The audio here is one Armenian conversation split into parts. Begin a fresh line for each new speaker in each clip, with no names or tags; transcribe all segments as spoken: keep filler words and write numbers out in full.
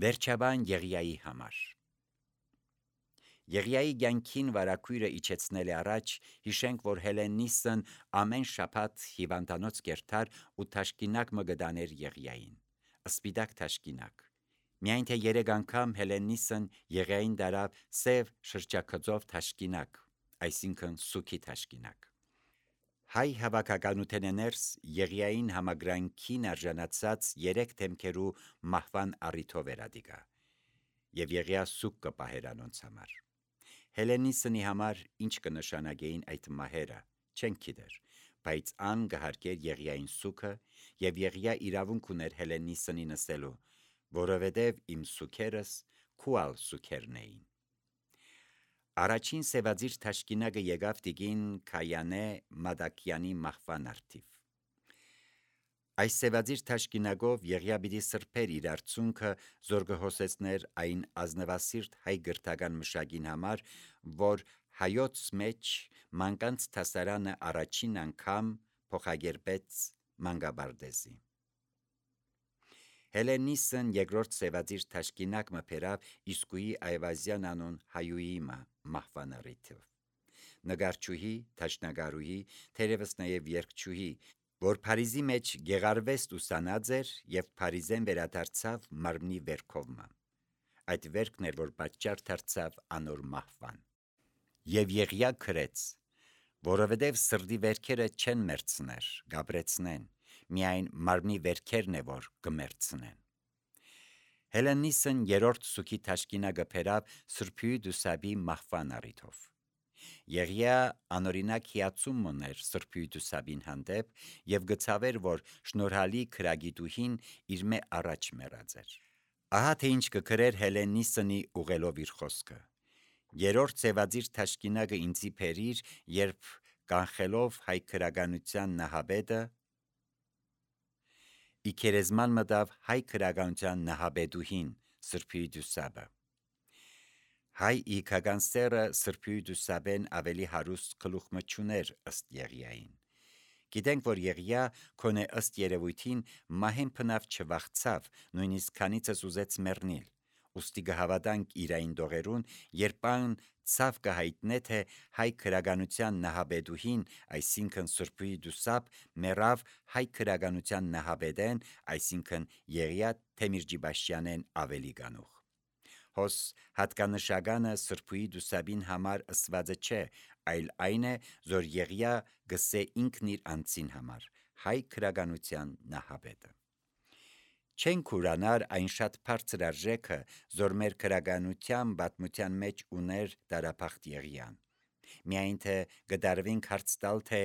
Վերջաբան Եղիայի համար Եղիայի կյանքին վարակույրը իջեցնել առաջ, հիշենք, որ Հելեննիսն ամեն շաբաթ հիվանդանոց կերտար ու թաշկինակ մը գտաներ Եղիային, սպիտակ թաշկինակ։ Միայն թե երեք անգամ Հելեննիսն Եղիային դարավ սև շրջակցով թաշկինակ, այսինքն սուքի թաշկինակ։ Հայ հավաքականության ներս Եղիային համագրանքին արժանացած երեք դեմքերու մահվան առիթով էր ադիգա, եւ Եղիա սուք կպահեր անոնց համար։ Հելեննիսնի համար ինչ կնշանակեին այդ մահերը, չեն գիտեր, բայց ան կհարկեր Եղիային սուքը, եւ Եղիա իրավունք ուներ Հելեննիսնի նսելու, որովհետեւ իմ սուքերս քուալ սուքերն էին։ Առաջին սևածիր թաշկինակը եկավ տիկին Քայանե Մադակյանի մահվան արդիվ։ Այս սևածիր թաշկինակով Եղիա պիտի սրբեր իր արցունքը, զոր կհոսեցներ այն ազնվասիրտ հայ գրթական մշակին համար, որ հայոց մեջ մանկանց թասարանը առաջին անգամ փոխագերբեց մանկաբարձի։ Հելեննիսն երկրորդ սևածիր թաշկինակ մը փերավ իսկույի Այվազյան անուն հայուի մահվան առիթով։ Նգարչուհի, թաշնագարուհի, թերևս նաև երգչուհի, որ Փարիզի մեջ գեղարվեստ ուսանած էր եւ Փարիզեն վերադարձավ մարմնի վերքովը։ Այդ վերքն էր, որ պատճառ դարձավ անոր մահվան։ Եվ Եղիա քրեց, որովհետև սրդի վերքերը չեն մերցներ, գաբրեցնեն, միայն մարմնի վերքերն է, որ կմերցնեն։ Հելեննիսն երրորդ սուքի թաշկինակը փերավ Սրբույի Դուսաբի մահվան առիթով։ Եղիա անօրինակ հիացում ուներ Սրբույի Դուսաբին հանդեպ եւ գծավեր, որ շնորհալի քրագիտուհին իր մե առաջ մեռած էր։ Ահա թե ինչ կգրեր Հելեննիսնի ուղելով իր խոսքը։ Երրորդ սևածիր թաշկինակը ինձի փերիր, երբ կանխելով հայ քրագանության նահաբետը իքերեզման մտավ հայ քրագանության նահաբետուհին Սրբույի Դուսաբը։ Հայ իքական սերը Սրբույի Դուսաբեն ավելի հարուստ գլուխ չուներ ըստ Եղիային։ Գիտենք, որ Եղիա քոնե ըստ երևույթին մահեն փնավ չվախցավ, նույնիսկ քանիցս ուզեց մեռնել։ Ուստի կհավատանք իրային դողերուն, երբ ան ցավ կհայտնե, թե հայ քրագանության նահաբետուհին, այսինքն Սրբույի Դուսաբ, մեռավ հայ քրագանության նահաբետեն, այսինքն Եղիա Թեմիրջիբաշյանեն ավելի գանուխ։ Հոս հատկանշականը Սրբույի Դուսաբին համար ըսվածը չէ, այլ այն է, որ Եղիա գսե ինքն իր անձին համար, հայ քրագանության նահաբետը։ Չենք ուրանար այն շատ բարձր արժեքը, որ մեր քրագանության պատմության մեջ ուներ դարափախտ Եղիան։ Միայն թե գդարվենք հարց տալ, թե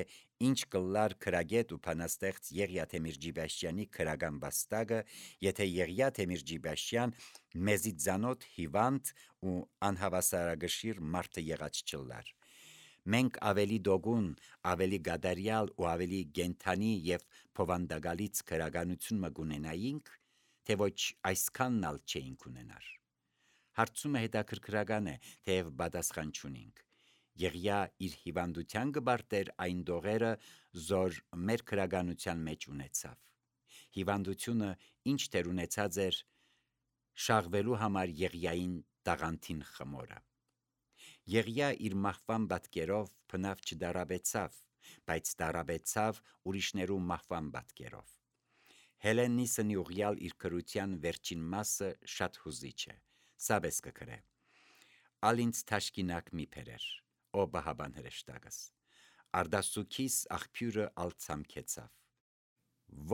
ինչ կլար քրագետ ու բանաստեղծ Եղիա Թեմիրջիբաշյանի քրագան վաստակը, եթե Եղիա Թեմիրջիբաշյան մեզի ծանոթ հիվանդ ու անհավասարագշիր մարդը եղած չլար։ Մենք ավելի դոգուն, ավելի գադարյալ ու ավելի գենթանի եւ փովանդակալից քրագանություն մը գունենայինք, թե ոչ այսքանն ալ չէինք ունենար։ Հարցումը հետաքրքրական է, թեև պատասխան չունենք։ Եղիա իր հիվանդության կբարտեր այն դողերը, զոր մեր քրագանության մեջ ունեցավ։ Հիվանդությունը ինչ դեր ունեցած էր շաղվելու համար Եղիային տաղանթին խմորը։ Եղիա իր մահվան պատկերով բնավ չդարաբեցավ, բայց դարաբեցավ ուրիշներու մահվան պատկերով։ Հելեննիսնի ուղյալ իր քրության վերջին մասը շատ հուզիչ է։ Սաբես կգրե. «Ալ ինձ թաշկինակ մի փերեր, ո բահաբան հրեշտակս, արդասուքիս աղբյուրը ալ ցամքեցավ։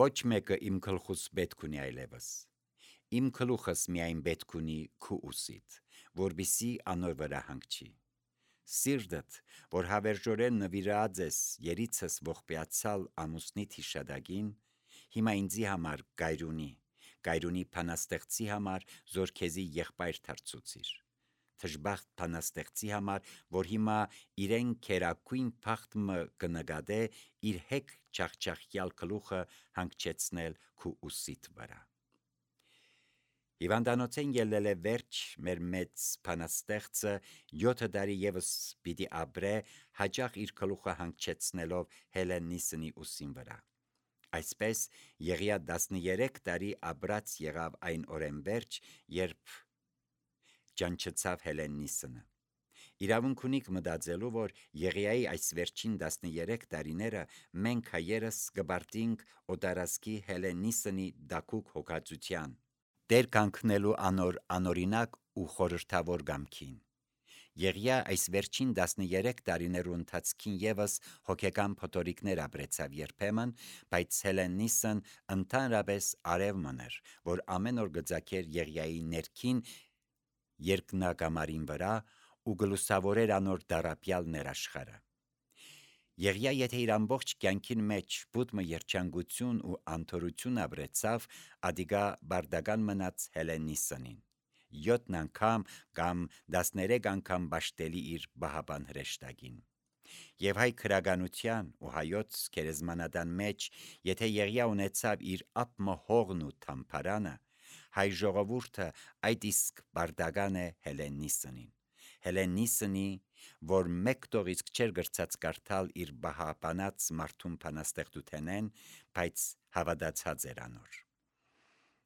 Ոչ մեկը իմ գլխուս պետք ունի այլևս, իմ գլուխս միայն պետք ունի քու ուսիդ, որբիսի անոր վրա հանգչի։ Սիրտդ, որ հավերժորեն նվիրած ես երիցս ողբեացալ ամուսնիդ հիշադակին, հիմա ինձի համար գայրունի, գայրունի բանաստեղծի համար, զոր քեզի եղբայր դարձուցիր, թշբախտ բանաստեղծի համար, որ հիմա իրեն քերակույն փախտը կնկատե իր հեկ չախչախյալ գլուխը հանգչեցնել քու ուսիդ վրա։ Հիվանդանոցեն ելել է վերջ մեր մեծ բանաստեղծը յոթ տարի եւս պիտի ապրե հաճախ իր գլուխը հանգչեցնելով Հելեննիսնի ուսին վրա։ Այսպես Եղիա տասներեք տարի ապրած եղավ այն օրեն վերջ, երբ ճանչցավ Հելեննիսը։ Իրավունք ունիք մտածելու, որ Եղիայի այս վերջին տասներեք տարիները մենք հայերս կբարտինք օտարասկի Հելեննիսնի դակուկ հոգացության, դեր կանգնելու անոր անօրինակ ու խորհրդավոր գամքին։ Եղիա այս վերջին տասներեք տարիներու ընթացքին ևս հոգեկան փոթորիկներ ապրեցավ երբեմն, բայց Հելեննիսն ընդհանրապես արև մներ, որ ամեն օր գծակեր Եղիայի ներքին երկնակամարին վրա ու գլուսավորեր անոր դարապյալ ներաշխարը։ Եղիա եթե իր ամբողջ կյանքին մեջ բուդմը երջանկություն ու անթորություն ապրեցավ, ադիգա բարդական մնաց Հելեննիսնին։ Յոթ անգամ կամ տասներեք անգամ բաշտելի իր բահապան հրեշտակին։ Եվ հայ քրագանության ու հայոց գերեզմանատան մեջ, եթե Եղիա ունեցավ իր ապմը հողն ու թամփարանը, հայ ժողովուրդը այդ իսկ բարդական է Հելեննիսնին։ Հելեննիսնի, որ մեկ տող իսկ չէր գրծած կարդալ իր բահապանած մարդուն բանաստեղծութենեն, բայց հավատացած էր անոր։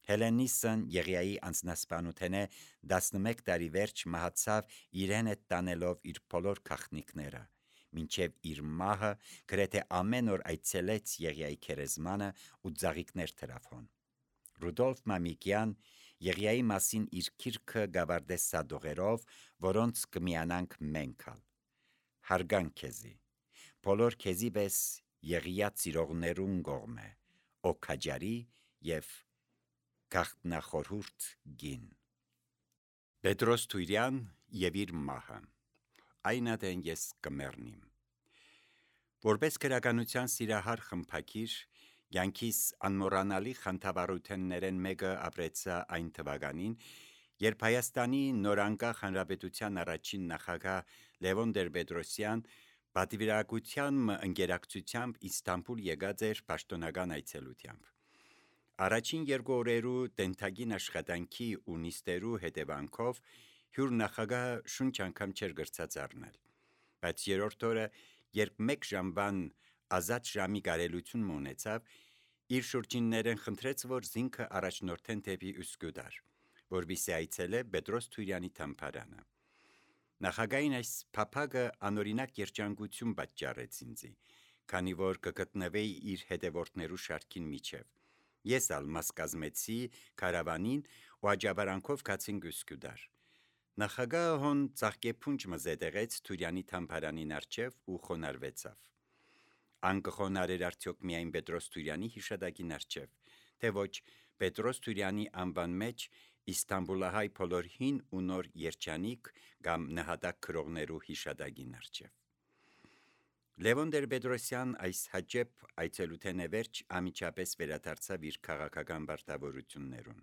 Հելեննիսն Եղիայի անձնասպանութենե տասնմեկ տարի վերջ մահացավ իրեն հետ տանելով իր բոլոր գաղտնիքները, մինչև իր մահը գրեթե ամեն օր այցելեց Եղիայի գերեզմանը ու ծաղիկներ թրավ հոն։ Ռուդոլֆ Մամիկյան Եղիայի մասին իր գիրքը գավառդե սադողերով, որոնց կմիանանք մենք ալ։ Հարգանք քեզի, բոլոր քեզի պես Եղիա ծիրողներուն կողմէ, օքաջարի և գաղտնախորհուրդ գին։ Պետրոս Թուրյան և իր մահը։ Այնադեն ես կմեռնիմ։ Որպես քրագանության սիրահար խմբագիր, կյանքիս անմոռանալի խանդավառություններեն մեկը ապրեցա այն թվականին, երբ Հայաստանի նորանկախ հանրապետության առաջին նախագահ Լևոն Տեր-Պետրոսյան պատվիրակության ընկերակցությամբ Իստանբուլ եկած էր պաշտոնական այցելությամբ։ Առաջին երկու օրերու տենթագին աշխատանքի ու նիստերու հետևանքով հյուր նախագահը շունչ անգամ չէր գրծած առնել, բայց երրորդ օրը, երբ մեկ ժամվան ազատ ժամի կարելություն ունեցավ, իր շուրջիններեն խնդրեց, որ զինքը առաջնորդեն դեպի Üsküdar, որպեսզի այցելե Պետրոս Թուրյանի թամփարանը։ Նախագահին այս փափագը անօրինակ երջանկություն պատճառեց ինձի, քանի որ կգտնվեի իր հետևորդներու շարքին միջև։ Ես ալ մաս կազմեցի քարավանին ու աջաբարանքով գացինք Üsküdar։ Նախագահը հոն ծաղկեփունջ մը զետեղեց Թուրյանի թամփարանին առջև ու խոնարհվեցավ։ Ան կխոնարհեր արդյոք միայն Պետրոս Թուրյանի հիշատակին առջև, թե ոչ Պետրոս Թուրյանի անվան մեջ Իստանբուլահայ բոլոր հին ու նոր երջանիկ կամ նահատակ քրողներու հիշատակին առջև։ Լևոն Տեր-Պետրոսյան այս հաջեփ այցելութենե վերջ ամիջապես վերադարձավ իր քաղաքական պարտավորություններուն։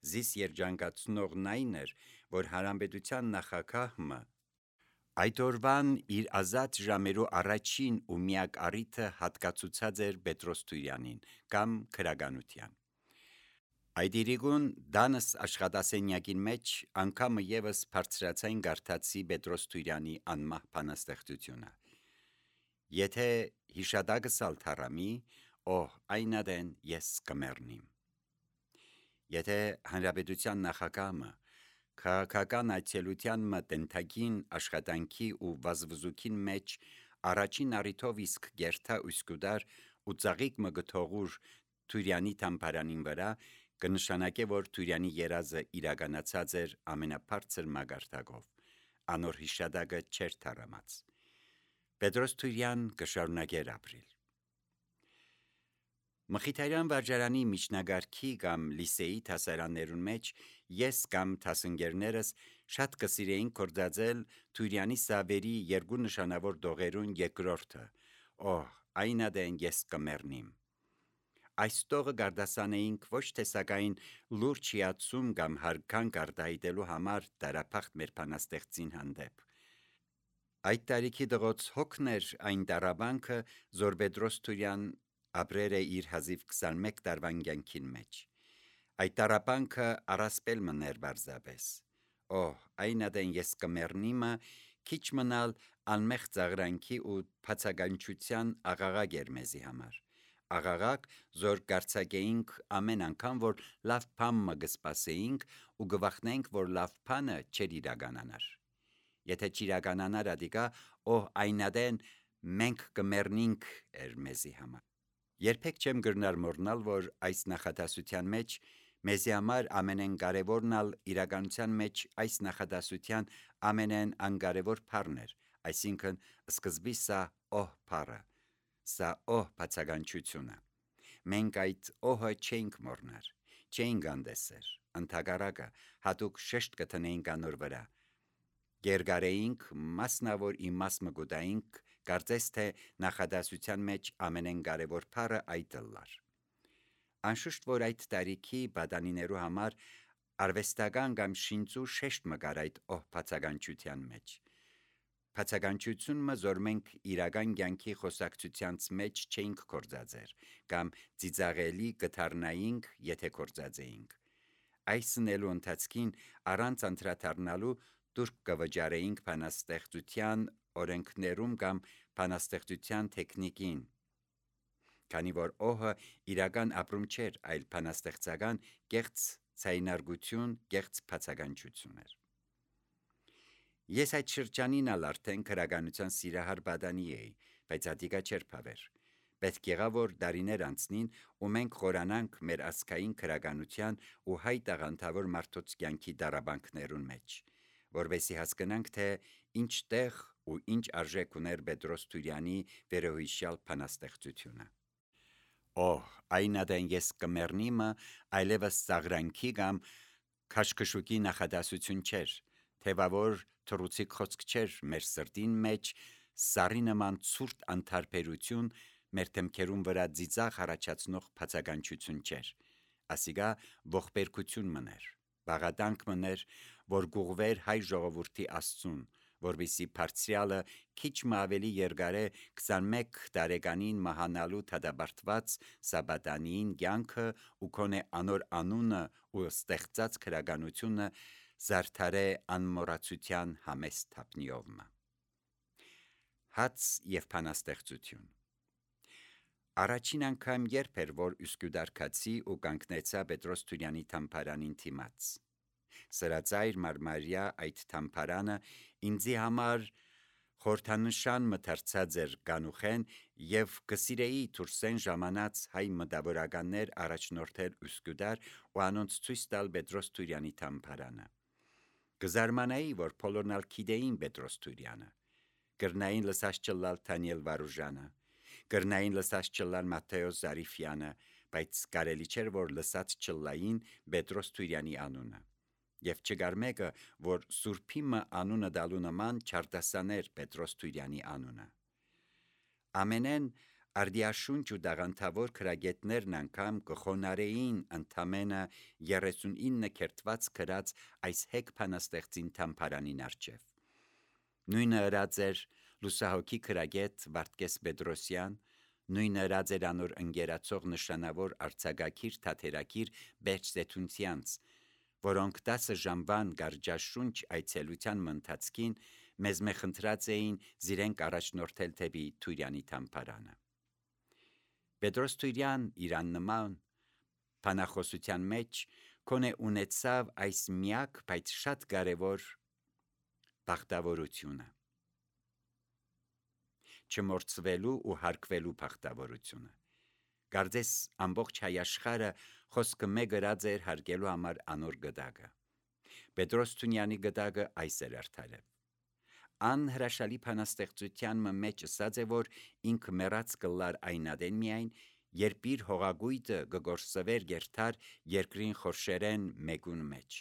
Զիս երջանկացնողն այն էր, որ հանրապետության նախագահը այդ օրվան իր ազատ ժամերու առաջին ու միակ առիթը հատկացուցած էր Պետրոս Թուրյանին կամ քրագանության։ Այդ իրիկուն դանս աշխատասենյակին մեջ անգամը ևս բարձրացային գարթացի Պետրոս Թուրյանի անմահ բանաստեղծությունը։ Եթե հիշատակս ալ թառամի, օհ, այնադեն ես կմեռնիմ։ Եթե հանրապետության նախագահը քաղաքական այցելության մը տենթագին աշխատանքի ու վազվզուքին մեջ առաջին առիթով իսկ գերթա Üsküdar ու ծաղիկ մը գթողուր Թուրյանի թամփարանին վրա, կնշանակե, որ Թուրյանի երազը իրականացած էր ամենաբարձր մագարտակով, անոր հիշատակը չէր թառամած։ Պետրոս Թուրյան կշարունակեր ապրիլ։ Մխիթարյան վարժարանի միջնագարքի կամ լիսեի դասարաններուն մեջ ես կամ դասընկերներս շատ կսիրեինք գործածել Թուրյանի սավերի երկու նշանավոր դողերուն երկրորդը, օհ, այնադեն ես կմեռնիմ։ Այս տողը գարդասանեինք ոչ թե սակայն լուրջ հիացում կամ հարգանք արտահայտելու համար դարափախտ մեր բանաստեղծին հանդեպ։ Այդ տարիքի դղոց հոգն էր այն տառաբանքը, որ Պետրոս Թուրյան ապրեր է իր հազիվ քսանմեկ տարվան կյանքին մեջ։ Այդ տառաբանքը առասպել մներ բարձապես։ Օհ, այնադեն ես կմեռնիմը քիչ մնալ անմեղ ծաղրանքի ու բացականչության աղաղակ էր մեզի համար։ աղաղակ, զոր գարցակեինք ամեն անգամ, որ լավ բան մը գսպասեինք ու գվախնենք, որ լավ բանը չեր իրականանար։ Եթե չիրականանար ադիկա, օհ այնադեն մենք կմեռնինք էր մեզի համար։ Երբեք չեմ գրնար մոռնալ, որ այս նախադասության մեջ մեզի համար ամենեն կարևորն ալ իրականության մեջ այս նախադասության ամենեն անկարևոր բառն էր, այսինքն սկզբի սա օհ բառը, սա օհ բացականչությունը։ Մենք այդ օհը չենք մոռնար, չենք անդեսեր, ընդհակառակը հատուկ շեշտ կտնեինք անոր վրա։ Գերգարեինք, մասնավոր իմաստ մգուտայինք, կարծես թե նախադասության մեջ ամենեն կարևոր բառը այդ լար։ Անշուշտ որ այդ տարիքի բադանիներու համար արվեստական կամ շինծու շեշտ մգար այդ օհ բացականչության մեջ։ Բացականչությունը զոր մենք իրական կյանքի խոսակցությանց մեջ չենք կործածեր, կամ ծիծաղելի կթարնայինք, եթե կործածեինք։ Այս նելու ընթացքին առանց անդրադառնալու դուրք կվճարեինք բանաստեղծության օրենքներում կամ բանաստեղծության տեխնիկին, քանի որ օհը իրական ապրում չէր, այլ բանաստեղծական կեղծ ցայնարգություն, կեղծ բացականչություն էր։ Ես այդ շրջանին ալ արդեն քրագանության սիրահար բադանի էի, բայց ադիկա չէր փավեր։ Պետք եղավ որ դարիներ անցնին ու մենք խորանանք մեր ազգային քրագանության ու հայ տաղանդավոր մարդոց կյանքի դարաբանքներուն մեջ, որովհետեւ հասկանանք, թե ինչ տեղ ու ինչ արժեք ուներ Պետրոս Թուրյանի վերոհիշյալ բանաստեղծությունը։ Օհ, այնադեն ես կմեռնիմը այլևս ծաղրանքի կամ քաշքշուկի նախադասություն չէր, թևավոր թռուցիկ խոսք չէր մեր սրտին մեջ, սարի նման ցուրտ անթարբերություն մեր թմքերուն վրա ծիծաղ առաջացնող բացականչություն չէր, ասիգա ողբերգություն մներ, բաղատանք մներ, որ գուղվեր հայ ժողովրդի Աստծուն, որպեսզի բարձրյալը քիչ մը ավելի երկարե քսանմեկ տարեկանին մահանալու թադաբարտված Սաբադանիին կյանքը ու քոնե անոր անունը ու ստեղծած քրագանությունը զարդարե անմոռացության համեստ թափնիովմը։ Հաց եւ բանաստեղծություն։ Առաջին անգամ երբ էր, որ Ուսկյուդարկացի ու կանգնեցա Պետրոս Թուրյանի թամփարանին թիմաց։ Սրածայր մարմարյա այդ թամփարանը ինձի համար խորհրդանշան մթարցած էր կանուխեն եւ կսիրեի Թուրսեն ժամանած հայ մտավորականներ առաջնորդել Ուսկյուդար ու անոնց ցույց տալ Պետրոս Թուրյանի թամփարանը։ Կզարմանայի, որ բոլորն ալ գիտեին Պետրոս Թուրյանը, կրնային լսած չլալ Դանիել Վարուժանը, կրնային լսած չլալ Մատթեոս Զարիֆյանը, բայց կարելի չէր, որ լսած չլային Պետրոս Թուրյանի անունը։ Եվ չկար մեկը, որ Սուրբիմը անունը դալու նման չարտասաներ Պետրոս Թուրյանի անունը։ Ամենեն արդիաշունչ ու դաղանթավոր քրագետներն անգամ կխոնարեին ընդամենը երեսունինը կերտված գրած այս հեգ բանաստեղծին թամփարանին առջև։ Նույնը ըրած էր լուսահոգի քրագետ Վարդգես Պետրոսյան, նույնը ըրած էր անոր ընկերացող նշանավոր արձակագիր թատերագիր Բերջ Զեթունցյանց, որոնք տասը ժամվան գարջաշունչ այցելության ընթացքին մեզ մե խնդրած էին զիրենք առաջնորդել թեպի Թուրյանի թամփարանը։ Պետրոս Թուրյան իրան նման բանախոսության մեջ կոնե ունեցավ այս միակ, բայց շատ կարևոր բախտավորությունը, չմորցվելու ու հարգվելու բախտավորությունը։ Կարծես ամբողջ հայ աշխարհը խոսքը մեկ գրած էր հարգելու համար անոր գդակը։ Պետրոս Թուրյանի գդակը այս էր արդարև։ Անհրաշալի բանաստեղծության մեջ ասած է, որ ինքը մեռած կլար այնադեն միայն, երբ իր հողագույտը գգործվեր գերթար երկրին խորշերեն մեկուն մեջ։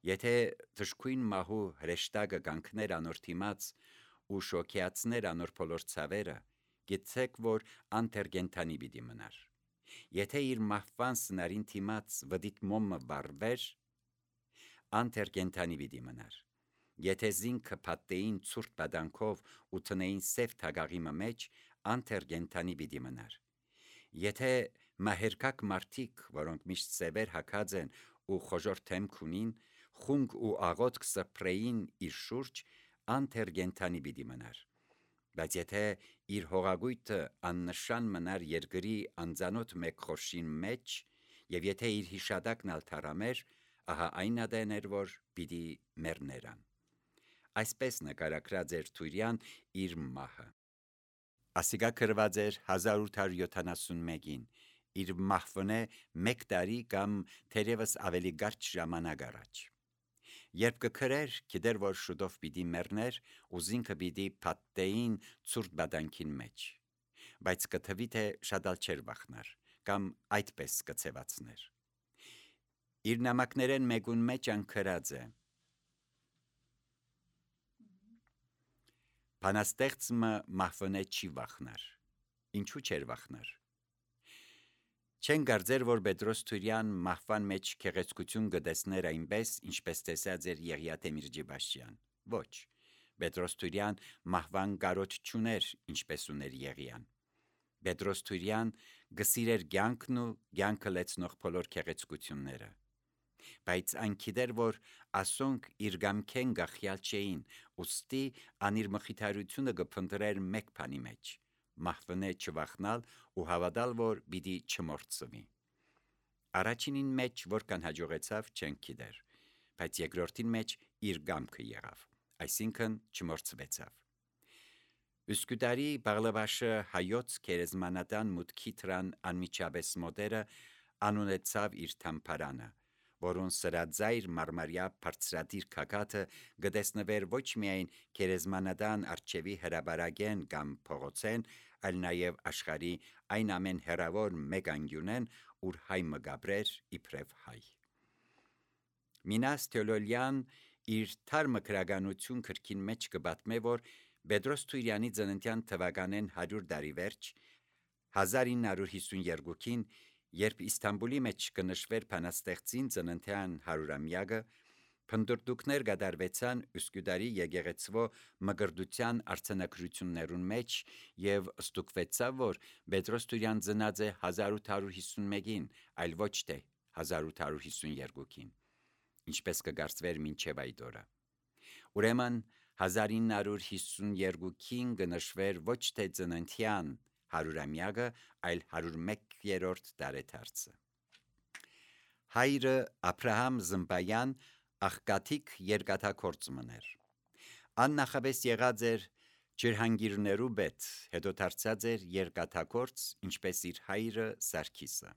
Եթե թշկույն մահու հրեշտակը կանգներ անոր թիմաց ու շոքեացներ անոր բոլոր ցավերը, գիտեք, որ անտերգենտանի պիտի մնար։ Եթե իր մահվան սնարին թիմաց վդիտ մոմը վառվեր, անտերգենտանի պիտի մնար։ Եթե զինքը փաթեին ցուրտ բադանքով ու տնեին սև թագաղի մեջ, անտերգենտանի պիտի մնար։ Եթե մահերկակ մարդիկ, որոնք միշտ սևեր հագած են ու խոժոր թեմք ունին, խունկ ու աղոթք սփռեին իր շուրջ, անտերգենտանի պիտի մնար։ Բայց եթե իր հողագույթը աննշան մնար երկրի անծանոթ մեկ խորշին մեջ, եւ եթե իր հիշադակն ալ թարամեր, ահա այն ադեն էր, որ պիտի մեռներան։ Այսպես նկարագրած էր Թուրյան իր մահը։ Ասիկա գրված էր հազար ութ հարյուր յոթանասունմեկին, իր մահվնե մեկ տարի կամ թերևս ավելի կարճ ժամանակ առաջ։ Երբ կգրեր, գիտեր, որ շուտով պիտի մեռներ, ու զինքը պիտի փաթեին ցուրտ բադանքին մեջ, բայց կթվի թե շատ ալ չէր վախնար, կամ այդպես կցևացներ։ Իր նամակներեն մեկուն մեջ անգրած է. Բանաստեղծը մահվնե չի վախնար։ Ինչու չէր վախնար։ Չեն կարծեր, որ Պետրոս Թուրյան մահվան մեջ քեղեցկություն կտեսներ այնպես, ինչպես տեսած էր Եղիա Թեմիրջիբաշյան։ Ոչ, Պետրոս Թուրյան մահվան կարոտ չուներ, ինչպես ուներ Եղիան։ Պետրոս Թուրյան գսիրեր կյանքն ու կյանքը լեցնող բոլոր քեղեցկությունները։ Բայց այն գիտեր, որ ասոնք իր գամքեն գախյալ չէին, ուստի ան իր մխիթարությունը կփնտրեր մեկ բանի մեջ՝ մահվնե չվախնալ ու հավատալ, որ պիտի չմորցվի։ Առաջինին մեջ որքան հաջողեցավ չենք գիտեր, բայց երկրորդին մեջ իր գամքը եղավ, այսինքն չմորցվեցավ։ Üsküdarի Բաղլավաշը հայոց քերեզմանատան մուտքի թրան անմիջապես մոտերը անունեցավ իր թամփարանը, որոնց սրածայր մարմարյա բարձրադիր քակաթը գտեսնվեր ոչ միայն քերեզմանատան արջևի հրաբարագեն կամ փողոցեն, այլ նաև աշխարհի այն ամեն հեռավոր մեկ անկյունեն, ուր հայ մգաբրեր իբրև հայ։ Մինաս Թյոլոլյան իր թարմը քրագանություն քրքին մեջ կբատմե, որ Պետրոս Թուրյանի ծննդյան թվականեն հարյուր տարի վերջ հազար ինը հարյուր հիսունյոթին, երբ Իստանբուլի մեջ կնշվեր բանաստեղծին ծննդյան հարյուրամյակը, փնտրտուքներ կատարվեցան Üsküdarի եկեղեցվո մկրտության արձանագրություններուն մեջ եւ ստուգվեցավ, որ Պետրոս Թուրյան ծնած է հազար ութ հարյուր հիսունմեկին, այլ ոչ թե հազար ութ հարյուր հիսունյոթին, ինչպես կգարծվեր մինչև այդ օրը։ Ուրեմն հազար ինը հարյուր հիսունյոթին կնշվեր ոչ թե ծննդյան հարյուրամյակը, այլ հարյուր մեկերորդ տարեդարձը։ Հայրը Աբրահամ Զմբայան աղքատիկ երկաթագործ մներ։ Ան նախապես եղած էր ջրհանգիրներու պետ, հետո դարձած էր երկաթագործ, ինչպես իր հայրը Սարգիսը։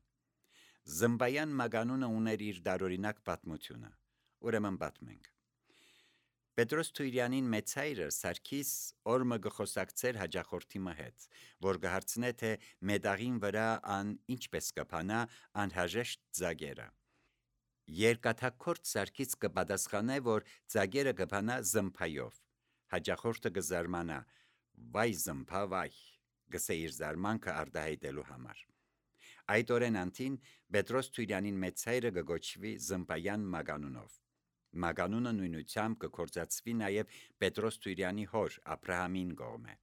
Զմբայան մագանունը ուներ իր դարօրինակ պատմությունը, ուրեմն պատմենք։ Պետրոս Թուրյանին մեծ հայրը Սարգիս օրմը գխոսակցեր հաջախորդի հետ, որ կհարցնե թե մետաղին վրա ան ինչպես կփանա անհրաժեշտ ծագերը։ Երկաթագործ Սարգիս կպատասխանե, որ ծագերը կփանա զմբայով։ Հաջախորդը կզարմանա. «Վայ զմբա, վայ», գսե իր զարմանքը արտահայտելու համար։ Այդ օրեն անտին Պետրոս Թուրյանին մեծ հայրը կգոչվի Զմբայան մագանունով։ Մագանունը նույնությամբ կկործածվի նաև Պետրոս Թուրյանի հոր Աբրահամին կողմէ։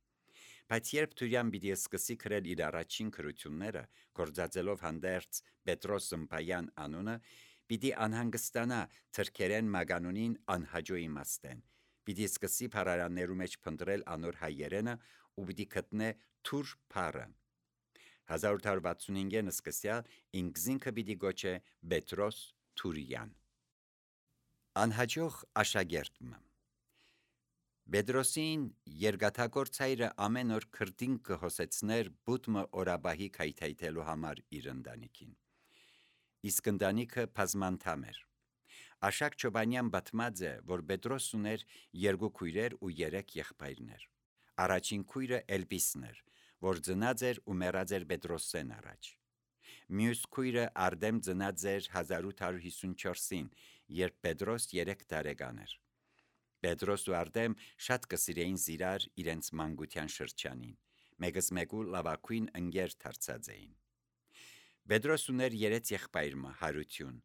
Բայց երբ Թուրյան պիտի սկսի գրել իր առաջին գրությունները, գործածելով հանդերձ Պետրոս Զմբայան անունը, պիտի անհանգստանա թրքերեն մագանունին անհաջո իմաստեն, պիտի սկսի փառարաններու մեջ փնտրել անոր հայերենը ու պիտի գտնե թուր փառը։ հազար ութ հարյուր վաթսունհինգին սկսյալ ինքզինքը պիտի գոչե Պետրոս Թուրյան։ Անհաջող աշակերտը Պետրոսին երկաթագործ հայրը ամեն օր քրտին կհոսեցներ բուդմը օրաբահի քայթայթելու համար իր ընտանիքին։ Իսկ ընտանիքը բազմանդամ էր։ Աշակ Չոբանյան պատմած է, որ Պետրոս ուներ երկու քույրեր ու երեք եղբայրներ։ Առաջին քույրը Էլպիսն էր, որ ծնած էր ու մեռած էր Պետրոսեն առաջ։ Մյուս քույրը Արդեմ ծնած էր հազար ութ հարյուր հիսունչորսին, երբ Պետրոս երեք տարեկան էր։ Պետրոս ու Արդեմ շատ կսիրեին զիրար իրենց մանկության շրջանին, մեկս մեկու լավագույն ընկեր դարձած էին։ Պետրոս ուներ երեք եղբայր Հարություն,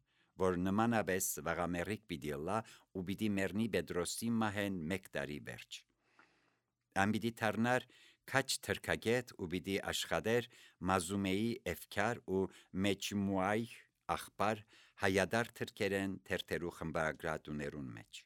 որ նմանապես վաղամեռիկ պիտի լա ու պիտի մեռնի Պետրոսի մահեն մեկ տարի վերջ։ Ան պիտի դառնար քաջ թրքագետ ու պիտի աշխատեր Մազումեի Էվքար ու Մեջմուայ աղբար հայադար թրքերեն թերթերու խմբագրատուներուն մեջ։